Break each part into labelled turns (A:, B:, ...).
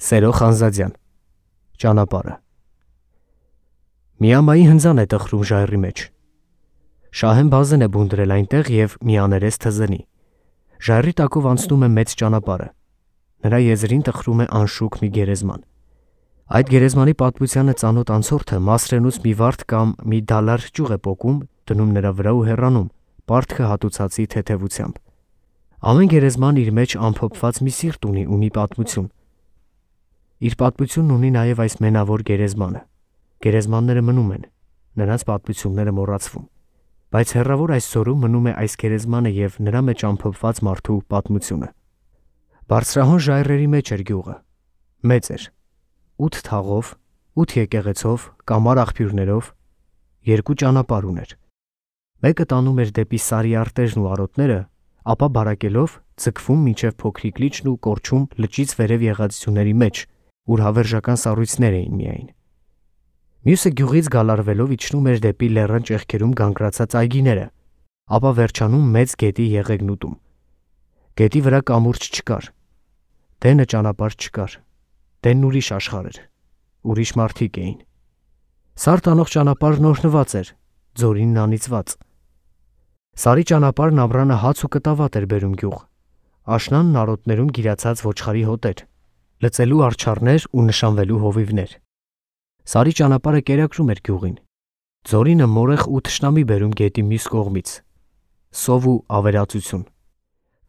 A: Սերո Խանզադյան, ճանապարհը։ Միամայի հնձան է տխրում ժայռի մեջ։ Շահեն բազեն է բուն դրել այնտեղ և մի աներես թզենի։ Ժայռի տակով անցնում է մեծ ճանապարհը։ Նրա եզրին տխրում է անշուք մի գերեզման։ Այդ գերեզմանի պատմությանը ծանոթ անցորդը Մասրենուց մի վարդ կամ մի դալար ճյուղ է պոկում, դնում նրա վրա ու հեռանում, պարտքը հատուցածի թեթևությամբ։ Ամեն գերեզման իր մեջ ամփոփված մի սիրտ ունի ու մի պատմություն։ Իր պատմությունն ունի նաև այս մենավոր գերեզմանը։ Գերեզմանները մնում են, նրանց պատմությունները մոռացվում, բայց հեռավոր այս զորում մնում է այս գերեզմանը և նրա մեջ ամփոփված մարդու պատմությունը։ Բարձրահոն ժայռերի մեջ էր գյուղը, մեծ էր, 8 թաղով, 8 եկեղեցով, կամար աղբյուրներով, 2 ճանապարհ ուներ։ Մեկը տանում էր դեպի Սարի արտերն ու արոտները, ապա բարակելով ձգվում մինչև փոքրիկ լիճն ու կորչում լճից վերև եղած ձյուների մեջ, ուր հավերժական սառույցներ էին միայն։ Մյուսը գյուղից գալարվելով իջնում էր դեպի լեռան ճեղքերում գանգրացած այգիները, ապա վերջանում մեծ գետի եղեգնուտում։ Գետի վրա կամուրջ չկար, դենը ճանապարհ չկար, դենն ուրիշ աշխարհ էր, ուրիշ մարդիկ էին։ Սար տանող ճանապարհն օրհնված էր, ձորինն անիծված։ Սարի ճանապարհն ամռանը հաց ու կտավատ էր բերում գյուղ, աշնանն արոտներում գիրացած ոչխարի հոտեր, լծելու արջառներ ու նշանվելու հովիվներ։ Սարի ճանապարհը կերակրում էր գյուղին, ձորինը մորեխ ու թշնամի բերում գետի մյուս կողմից, սով ու ավերածություն։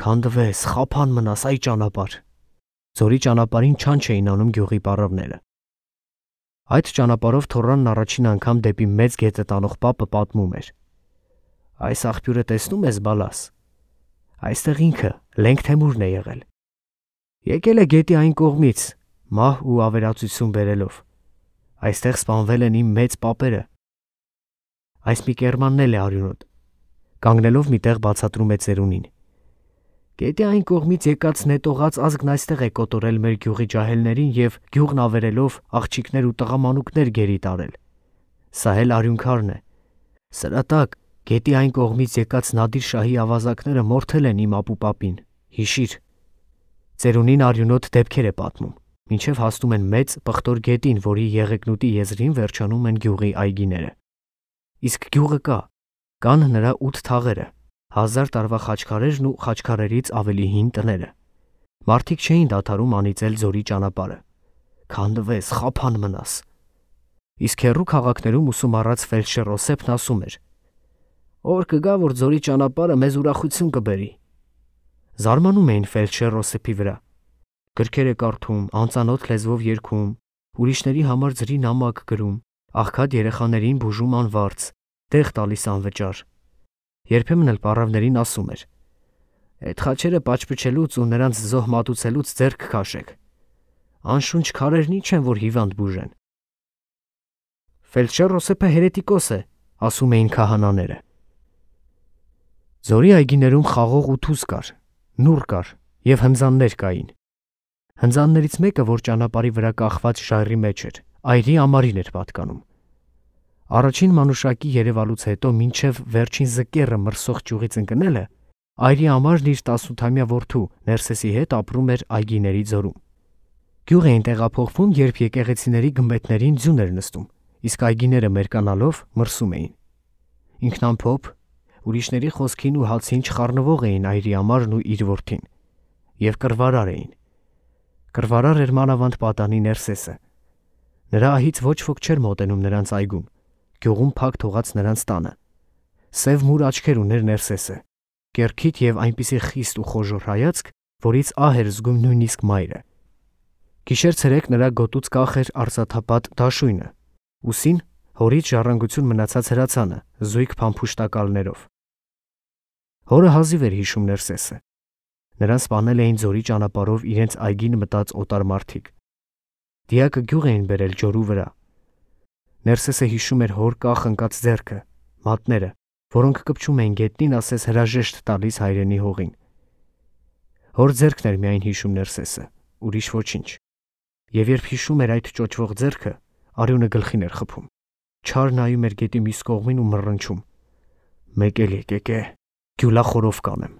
A: Քանդվես, խափան մնաս այ ճանապարհ։ Ձորի ճանապարհին չանչ էին անում գյուղի պառավները։ Այդ ճանապարհով թոռանն առաջին անգամ դեպի մեծ գետը տանող պապը պատմում էր. «Այս աղբյուրը տեսնում ես, բալաս, այստեղ ինքը Լենք Թեմուրն է եղել։ Եկել է գետի այն կողմից, մահ ու ավերածություն բերելով։ Այստեղ սպանվել են իմ մեծ պապերը։ Այս մի կերմանն էլ է արյունոտ»։ Կանգնելով մի տեղ բացատրում է ծերունին. «Գետի այն կողմից եկած նետողած ազգն այստեղ է կոտորել մեր գյուղի ջահելներին և գյուղն ավերելով աղջիկներ ու տղամանուկներ գերի տարել։ Սա էլ արյունքարն է։ Սրա տակ գետի այն կողմից եկած Նադիր շահի ավազակները մորթել են իմ ապուպապին, հիշիր»։ Ծերունին արյունոտ դեպքեր է պատմում, մինչև հասնում են մեծ պղտոր գետին, որի եղեգնուտի եզրին վերջանում են գյուղի այգիները։ Իսկ գյուղը կա, կան նրա 8 թաղերը, 1000 տարվա խաչքարերն ու խաչքարերից ավելի հին տները։ Մարդիկ չէին դադարում անիծել ձորի ճանապարհը։ Քանդվես, խափան մնաս։ Իսկ հեռու քաղաքներում ուսում առած ֆելդշեր Օսեփն ասում էր. «Օր կգա, որ ձորի ճանապարհը մեզ ուրախություն կբերի»։ Զարմանում էին ֆելդշեր Օսեփի վրա։ Գրքեր է կարդում, անծանոթ լեզվով երգում, ուրիշների համար ձրի նամակ գրում, աղքատ երեխաներին բուժում անվարձ, տեղ տալիս անվճար։ Երբեմն էլ պառավներին ասում էր. «Այդ խաչերը պաճպճելուց ու նրանց զոհ մատուցելուց ձեռք քաշեք։ Անշունչ քարերն ինչ են, որ հիվանդ բուժեն»։ Ֆելդշեր Օսեփը հերետիկոս է, ասում էին քահանաները։ Ձորի այգիներում խաղող ու թուզ կար, նուռ կար և հնձաններ կային։ Հնձաններից մեկը, որ ճանապարհի վրա կախված ժայռի մեջ էր, այրի ամարին էր պատկանում։ Առաջին մանուշակի երևալուց հետո մինչև վերջին զկեռը մրսող ճյուղից ընկնելը, այրի ամարն իր 18-ամյա որդու Ներսեսի հետ ապրում էր այգիների ձորում։ Գյուղ էին տեղափոխվում, երբ եկեղեցիների գմբեթներին ձյուն էր նստում, իսկ այգիները մերկանալով մրսում էին։ Ինքնամփոփ, ուրիշների խոսքին ու հացին չխառնվող էին այրի ամարն ու իր որդին, և կռվարար էին։ Կռվարար էր մանավանդ պատանի Ներսեսը։ Նրա ահից ոչ ոք չէր մոտենում նրանց այգուն, գյուղում փակ թողած նրանց տանը։ Սև մուր աչքեր ուներ Ներսեսը, կեռքիթ և այնպիսի խիստ ու խոժոռ հայացք, որից ահ էր զգում նույնիսկ մայրը։ Գիշեր-ցերեկ նրա գոտուց կախ էր արծաթապատ դաշույնը, ուսին հորից ժառանգություն մնացած հրացանը, զույգ փամփուշտակալներով։ Հորը հազիվ էր հիշում Ներսեսը։ Նրան սպանել էին ձորի ճանապարհով իրենց այգին մտած օտար մարդիկ։ Դիակը գյուղ էին բերել ջորու վրա։ Ներսեսը հիշում էր հոր կախ ընկած ձեռքը, մատները, որոնք կպչում էին գետնին ասես հրաժեշտ տալիս հայրենի հողին։ Հոր ձեռքն էր միայն հիշում Ներսեսը, ուրիշ ոչինչ։ Եվ երբ հիշում էր այդ ճոճվող ձեռքը, արյունը գլխին էր խփում։ Չար նայում էր գետի մյուս կողմին ու մռնչում. «Մեկ էլ եկեք է, գյուլախորով կանեմ»։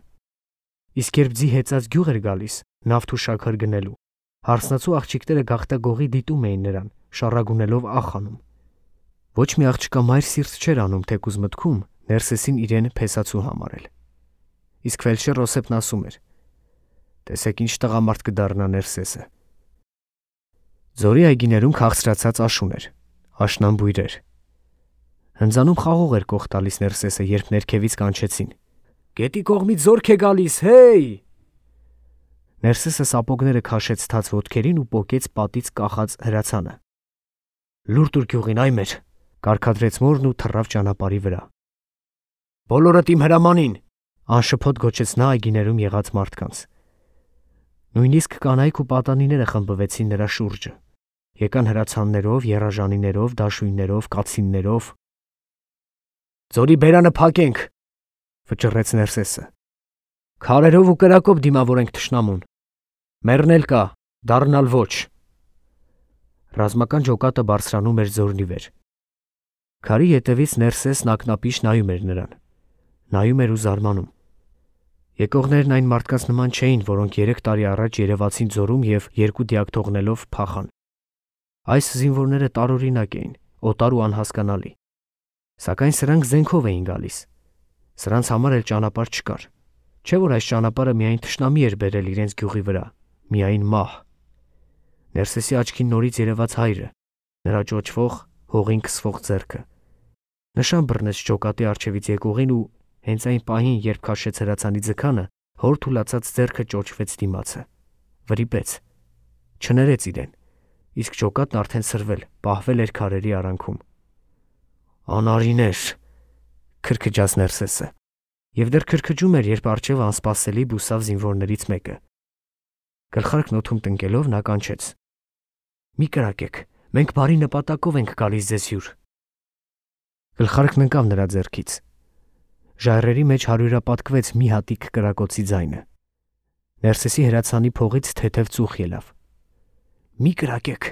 A: Իսկ երբ ձի հեծած գյուղ էր գալիս, նավթ ու շաքար գնելու, Հարսնացու աղջիկները գաղտագողի դիտում էին նրան, շառագունելով ախանում։ Ոչ մի աղջկա մայր սիրտ չէր անում թեկուզ մտքում Ներսեսին իրեն փեսացու համարել։ Իսկ ֆելդշեր Ռոսեփն ասում էր. «Տեսեք ինչ տղամարդ կդառնա Ներսեսը»։ Ձորի այգիներում քաղցրացած աշուն էր, աշնան բույրեր։ Հնձանում խաղող էր կող տալիս Ներսեսը, երբ ներքևից կանչեցին. «Գետի կողմից զորք է գալիս, հեյ»։ Ներսեսը սապոգները քաշեց թաց ոտքերին ու պոկեց պատից կախած հրացանը։ «Լուր տուր գյուղին, այ մեր», կարգադրեց մորն ու թռավ ճանապարհի վրա։ «Բոլորդ իմ հրամանին», անշփոթ գոչեց նա այգիներում եղած մարդկանց։ Նույնիսկ կանայք ու պատանիները խմբվեցին նրա շուրջը։ Եկան հրացաններով, եռաժանիներով, դաշույններով, կացիններով։ «Ձորի բերանը փակենք», վճռեց Ներսեսը։ «Քարերով ու կրակով դիմավորենք թշնամուն։ Մեռնել կա, դառնալ ոչ»։ Ռազմական ջոկատը բարձրանում էր ձորնի վեր։ Քարի ետևից Ներսեսն ակնապիշ նայում էր նրան։ Նայում էր ու զարմանում։ Եկողներն այն մարդկանց նման չէին, որոնք 3 տարի առաջ երևացին ձորում և 2 դիակ թողնելով փախան։ Այս զինվորները տարօրինակ էին, օտար ու անհասկանալի։ Սակայն սրանք զենքով էին գալիս։ Սրանց համար էլ ճանապարհ չկար։ Չէ՞ որ այս ճանապարհը միայն թշնամի էր բերել իրենց գյուղի վրա, միայն մահ։ Ներսեսի աչքին նորից երևաց հայրը, նրա ճոճվող, հողին քսվող ձեռքը։ Նշան բռնեց ջոկատի առջևից եկողին ու հենց այն պահին, երբ քաշեց հրացանի ձգանը, հոր թուլացած ձեռքը ճոճվեց դիմացը։ Վրիպեց։ Չներեց իրեն, իսկ ջոկատն արդեն սրվել, պահվել էր քարերի արանքում։ «Անարիներ», քրքջաց Ներսեսը, և դեռ քրքջում էր, երբ առջև անսպասելի բուսավ զինվորներից մեկը։ Գլխարկն օդում տնկելով նա կանչեց. «Մի կրակեք, մենք բարի նպատակով ենք գալիս ձեզ հյուր»։ Գլխարկն ընկավ նրա ձեռքից։ Ժայռերի մեջ հարյուրապատկվեց մի հատիկ կրակոցի ձայնը։ Ներսեսի հրացանի փողից թեթև ծուխ ելավ։ «Մի կրակեք»,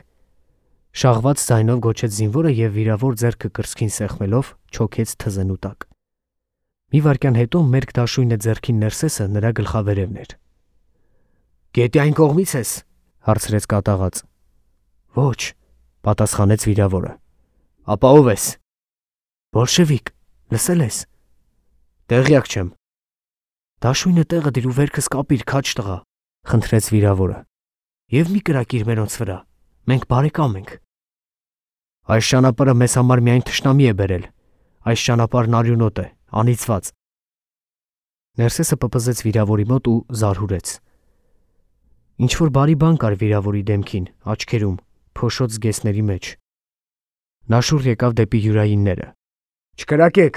A: շաղված ձայնով գոչեց զինվորը և վիրավոր ձեռքը կրծքին սեղմելով չոքեց թզենու տակ։ Մի վայրկյան հետո մերկ դաշույնը ձեռքին Ներսեսը նրա գլխավերևն էր։ «Գետի այն կողմից ես», հարցրեց կատաղած։ «Ոչ», պատասխանեց վիրավորը։ «Ապա ով ես»։ «Բոլշևիկ, լսել ես»։ «Տեղյակ չեմ»։ «Դաշույնը տեղը դիր ու վերքս կապիր, քաջ տղա», խնդրեց վիրավորը։ «Եվ մի կրակիր մերոնց վրա, մենք բարեկամ ենք»։ «Այս ճանապարհը մեզ համար միայն թշնամի է բերել, այս ճանապարհն արյունոտ է, անիծված»։ Ներսեսը պպզեց վիրավորի մոտ ու զարհուրեց։ Ինչ-որ բարի բան կար վիրավորի դեմքին, աչքերում, փոշոտ զգեստների մեջ։ Նա շուռ եկավ դեպի յուրայինները։ «Չկրակեք,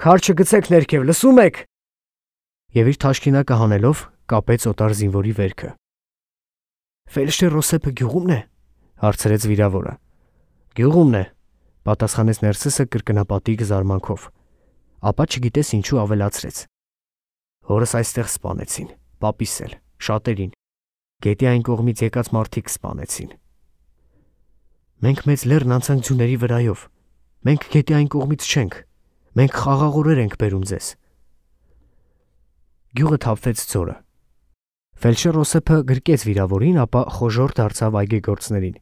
A: քար չգցեք ներքև, լսում եք»։ Եվ իր թաշկինակը հանելով կապեց օտար զինվորի վերքը։ «Ֆելդշեր Ռոսեփը գյուղումն է», հարցրեց վիրավորը։ «Գյուղումն է», պատասխանեց Ներսեսը կրկնապատիկ զարմանքով։ Ապա չգիտես ինչու ավելացրեց. «Հորս այստեղ սպանեցին, պապիս էլ, շատերին, գետի այն կողմից եկած մարդիկ սպանեցին»։ «Մենք մեծ լեռն անցանք ձյուների վրայով, մենք գետի այն կողմից չենք, մենք խաղաղորեր ենք բերում ձեզ»։ Գյուղը թափվեց ձորը։ Ֆելդշեր Ռոսեփը գրկեց վիրավորին, ապա խոժոռ դարձավ այգեգործներին։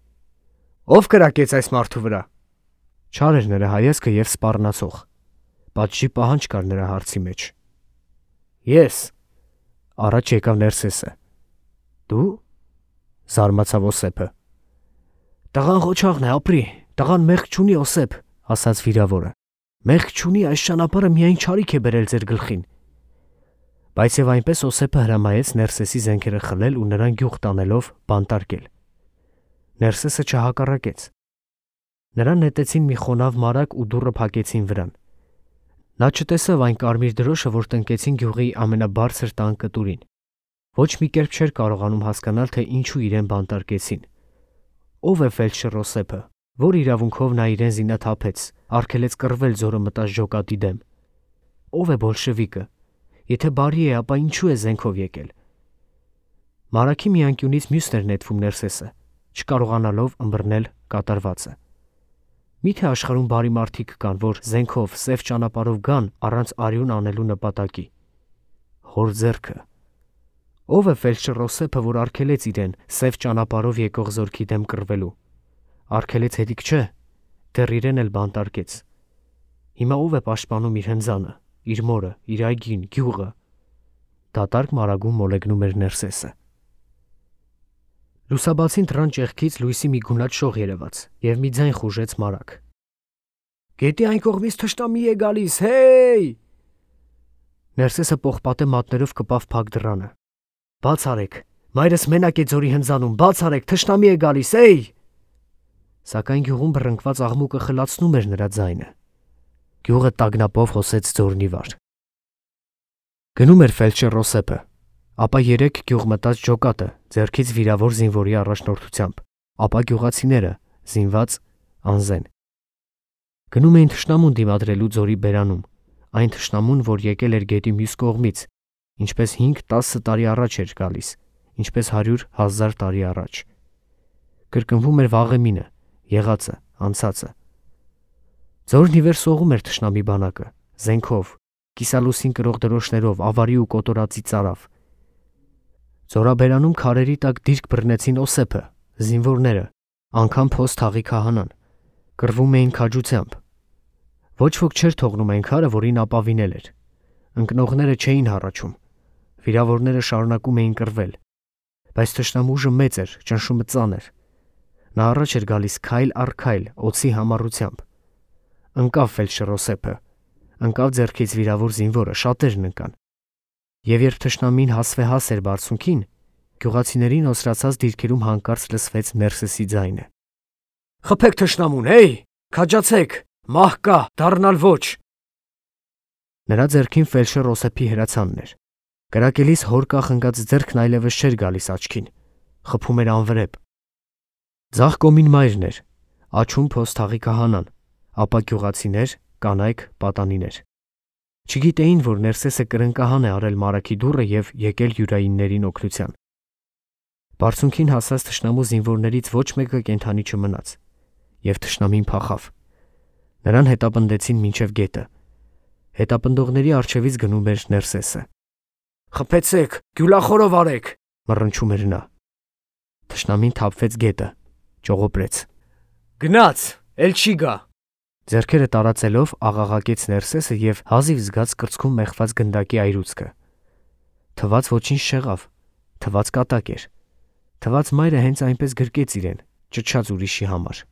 A: «Ո՞վ կրակեց այս մարդու վրա»։ Չար էր նրա հայացքը և սպառնացող։ Պատժի պահանջ կար նրա հարցի մեջ։ «Ես»։ Առաջ եկավ Ներսեսը։ «Դու»։ Զարմացավ Օսեփը։ «Տղան ղոչաղն է, ապրի, տղան մեղք չունի, Օսեփ», ասաց վիրավորը։ «Մեղք չունի, այս ճանապարհը միայն չարիք է բերել ձեր գլխին»։ Բայց և այնպես Օսեփը հրամայեց Ներսեսի զենքերը խլել ու նրան գյուղ տանելով բանտարկել։ Ներսեսը չհակառակեց։ Նրան նետեցին մի խոնավ մարագ ու դուռը փակեցին վրան։ Նա չտեսավ այն կարմիր դրոշը, որ տնկեցին գյուղի ամենաբարձր տան կտուրին։ Ոչ մի կերպ չէր կարողանում հասկանալ, թե ինչու իրեն բանտարկեցին։ Ո՞վ է ֆելդշեր Ռոսեփը, որ իրավունքով նա իրեն զինաթափեց, արգելեց կռվել ձորը մտած ջոկատի դեմ։ Ո՞վ է բոլշևիկը։ Եթե բարի է, ապա ինչու է զենքով եկել։ Մարագի մի անկյունից մյուսն էր նետվում Ներսեսը, չկարողանալով ըմբռնել կատարվածը։ Մի՞թե աշխարհում բարի մարդիկ կան, որ զենքով, սև ճանապարհով գան առանց արյուն անելու նպատակի։ Հոր ձեռքը։ Ով է ֆելդշեր որ արգելեց իրեն սև ճանապարհով եկող զորքի դեմ կռվելու։ Արգելեց հետիք չէ, դեռ իրեն էլ բանտարկեց։ Հիմա ով է պաշտպանում իր հնձանը, իր մորը, իր այգին, գյուղը։ Դատարկ մարագում մոլեգնում էր Ներսեսը։ Լուսաբացին դռան ճեղքից լույսի մի գունատ շող երևաց եւ մի ձայն խուժեց մարակ։ Գետի այն կողմից թշնամի է գալիս, հեյ! Ներսեսը պողպատե մատներով կպավ փակ դռանը։ Բաց արեք, մայրս մենակ է ձորի հնձանում, բաց արեք, թշնամի է գալիս, էй! Սակայն գյուղում բռնկված աղմուկը խլացնում էր նրա ձայնը։ Գյուղը տագնապով հոսեց ձորնի վար։ Գնում էր ֆելդշեր Ռոսեփը, ապա 3 գյուղ մտած ջոկատը ձեռքից վիրավոր զինվորի առաջնորդությամբ, ապա գյուղացիները զինված անզեն։ Գնում էին թշնամուն դիմադրելու ձորի բերանում, այն թշնամուն, որ եկել էր գետի մյուս կողմից, ինչպես 5-10 տարի առաջ էր գալիս, ինչպես 100,000 տարի առաջ։ Կրկնվում էր վաղեմինը, եղածը, անցածը։ Ձորն ի վեր սողում էր թշնամի բանակը, զենքով, կիսալուսին կրող դրոշներով, ավարի ու կոտորածի ծարավ։ Ձորաբերանում քարերի տակ դիրք բռնեցին Օսեփը, զինվորները, անգամ փոս թաղի քահանան, կռվում էին քաջությամբ։ Ոչ ոք չէր թողնում այն քարը, որին ապավինել էր։ Ընկնողները չէին հառաչում, վիրավորները շարունակում էին կռվել, բայց թշնամուժը մեծ էր, ճնշումը ծանր։ Նա առաջ էր գալիս քայլ առ քայլ, օձի համառությամբ։ Ընկավ ֆելդշեր Օսեփը, ընկավ ձեռքից վիրավոր զինվորը, շատերն ընկան։ Եվ երբ թշնամին հասվեհաս էր բարձունքին, գյուղացիներին օսրացած դիրքերում հանկարծ լսվեց Ներսեսի ձայնը. «Խփեք թշնամուն, հեյ, քաջացեք, մահ կա, դառնալ ոչ»։ Նրա ձեռքին ֆելդշեր Օսեփի հրացանն էր։ Կրակելիս հոր կախնկած ձեռքն այլևս չէր գալիս աչքին, խփում էր անվրեպ։ Ձախ կողմին մայրն էր, աջում փոս թաղի քահանան, ապա գյուղացիներ, կանայք, պատանիներ։ Չգիտեին, որ Ներսեսը կրնկահան է արել մարաքի դուռը եւ եկել յուրայիններին օգնության։ Բարձունքին հասած թշնամու զինվորներից ոչ մեկը կենթանի չմնաց, եւ թշնամին փախավ։ Նրան հետապնդեցին մինչև գետը։ Հետապնդողների առջևից գնում էր Ներսեսը։ «Խփեցեք, գյուլախորով արեք», մռնչում էր նա։ Թշնամին թափվեց գետը, ճողոպրեց։ «Գնաց, էլ չի գա»։ Ձեռքերը տարածելով աղաղակեց Ներսեսը եւ հազիվ զգաց կրծքում մեխված գնդակի այրուցքը։ Թված ոչինչ չեղավ, թված կատակ էր, թված մայրը հենց այնպես գրկեց իրեն, ճչաց ուրիշի համար։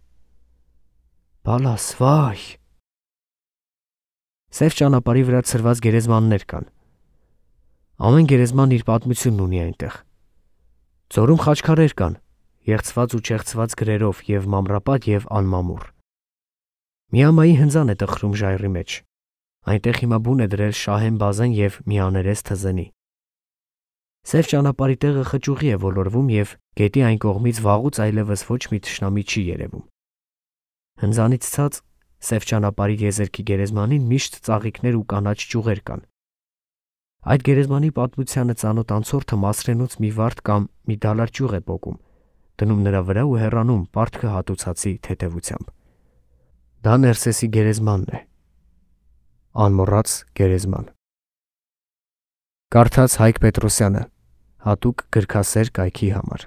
A: Բալաս, վայ։ Սև ճանապարհի վրա ցրված գերեզմաններ կան։ Ամեն գերեզման իր պատմությունն ունի այնտեղ։ Ձորում խաչքարեր կան, եղծված ու չեղծված գրերով եւ մամրապատ եւ անմամուռ։ Միամայի հնձան է տխրում ժայռի մեջ։ Այնտեղ հիմա բուն է դրել Շահեն Բազեն եւ Միաներես Թզենի։ Սև ճանապարհի տեղը խճուղի է ոլորվում եւ գետի այն կողմից վաղուց այլևս ոչ մի թշնամի չի երևում։ Հնձանից ցած սև ճանապարհի եզերքի գերեզմանին միշտ ծաղիկներ ու կանաչ ճյուղեր կան։ Այդ գերեզմանի պատմությանը ծանոթ անցորդը Մասրենուց մի վարդ կամ մի դալար ճյուղ է պոկում, դնում նրա վրա ու հեռանում պարտքը հատուցածի թեթևությամբ։ Դա Ներսեսի գերեզմանն է։ Անմոռաց գերեզման։ Կարդաց Հայկ Պետրոսյանը, հատուկ գրքասեր կայքի համար։